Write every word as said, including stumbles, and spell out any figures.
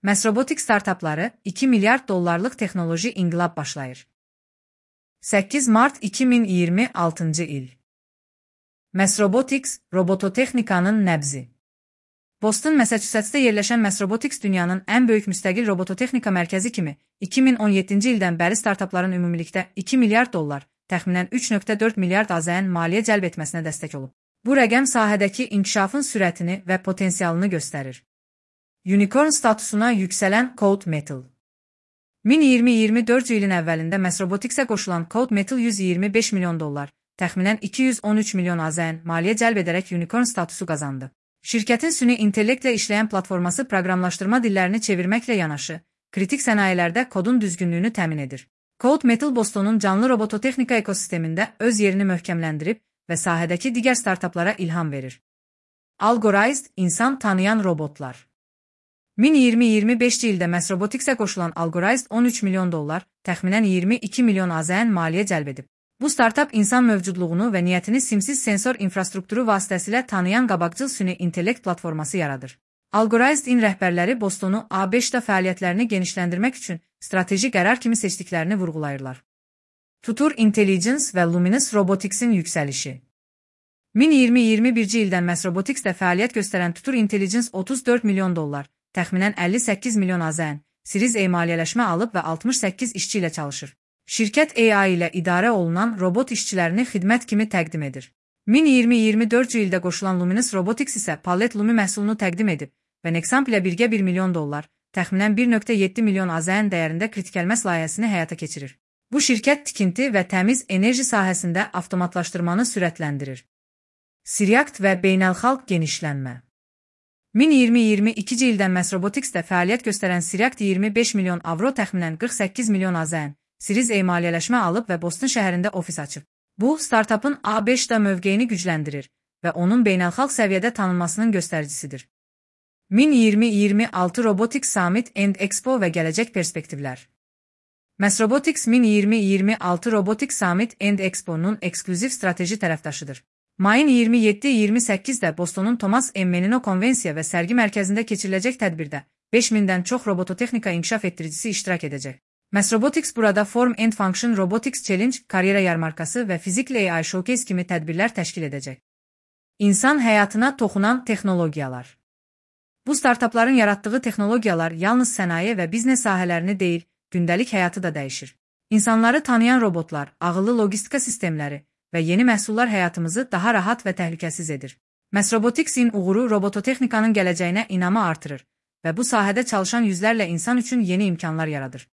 Mesrobotik startapları iki milyard dollarlıq texnoloji inqilab başlayır. səkkiz mart iki min iyirmi altıncı il. Mesrobotics, robototexnikanın nəbzi. Boston, Massachusetts'te yerləşən Mesrobotics dünyanın ən böyük müstəqil robototexnika mərkəzi kimi iki min on yeddinci ildən bəri startapların ümumilikdə iki milyard dollar, təxminən üç nöqtə dörd milyard AZN maliyyə cəlb etməsinə dəstək olub. Bu rəqəm sahədəki inkişafın sürətini və potensialını göstərir. Unicorn statusuna yüksələn Code Metal. min iyirmi dördüncü ilin əvvəlində Mesrobotics'e qoşulan Code Metal yüz iyirmi beş milyon dollar, təxminən iki yüz on üç milyon AZN maliyyə cəlb edərək unicorn statusu qazandı. Şirkətin süni intellektlə işləyən platforması proqramlaşdırma dillərini çevirməklə yanaşı, kritik sənayelərdə kodun düzgünlüyünü təmin edir. Code Metal Boston'un canlı robototexnika ekosistemində öz yerini möhkəmləndirib və sahədəki digər startaplara ilham verir. Algorized, insan tanıyan robotlar. min iyirmi beşinci ildə Mesrobotics'e qoşulan Algorized on üç milyon dollar, təxminən iyirmi iki milyon AZN maliyyə cəlb edib. Bu startap insan mövcudluğunu və niyyətini simsiz sensor infrastrukturu vasitəsilə tanıyan qabaqcıl süni intellekt platforması yaradır. Algorized-in rəhbərləri Boston'u A beşdə fəaliyyətlərini genişləndirmək üçün strateji qərar kimi seçdiklərini vurğulayırlar. Tutur Intelligence və Luminous Robotics'in yüksəlişi. min iyirmi birinci ildən Mesrobotics'də fəaliyyət göstərən Tutur Intelligence otuz dörd milyon dollar, təxminən əlli səkkiz milyon AZN, Series A maliyyələşmə alıb və altmış səkkiz işçi ilə çalışır. Şirkət A I ilə idarə olunan robot işçilərini xidmət kimi təqdim edir. min iyirmi dördüncü ildə qoşulan Luminous Robotics isə Pallet Lumi məhsulunu təqdim edib və Nexamp ilə birgə bir milyon dollar, təxminən bir nöqtə yeddi milyon AZN dəyərində kritikəlməs layihəsini həyata keçirir. Bu şirkət tikinti və təmiz enerji sahəsində avtomatlaşdırmanı sürətləndirir. Siriakt və beynəlxalq genişlənmə. min iyirmi ikinci ildən Mesrobotics'də fəaliyyət göstərən Siriakt iyirmi beş milyon avro, təxminən qırx səkkiz milyon AZN, Series A maliyyələşmə alıb və Boston şəhərində ofis açıb. Bu, startapın A beşdə mövqeyini gücləndirir və onun beynəlxalq səviyyədə tanınmasının göstəricisidir. min iyirmi altı Robotics Summit and Expo və gələcək perspektivlər. Mesrobotics min iyirmi altı Robotics Summit and Expo'nun eksklüziv strateji tərəfdaşıdır. Mayın iyirmi yeddi iyirmi səkkizdə Boston'un Thomas M. Menino konvensiya və sərgi mərkəzində keçiriləcək tədbirdə beş mindən çox robototexnika inkişaf etdiricisi iştirak edəcək. Mesrobotics burada Form and Function Robotics Challenge, karyera yarmarkası və Physical A I Showcase kimi tədbirlər təşkil edəcək. İnsan həyatına toxunan texnologiyalar. Bu startapların yaratdığı texnologiyalar yalnız sənaye və biznes sahələrini deyil, gündəlik həyatı da dəyişir. İnsanları tanıyan robotlar, ağıllı logistika sistemləri və yeni məhsullar həyatımızı daha rahat və təhlükəsiz edir. Mesrobotics'in uğuru robototexnikanın gələcəyinə inamı artırır və bu sahədə çalışan yüzlərlə insan üçün yeni imkanlar yaradır.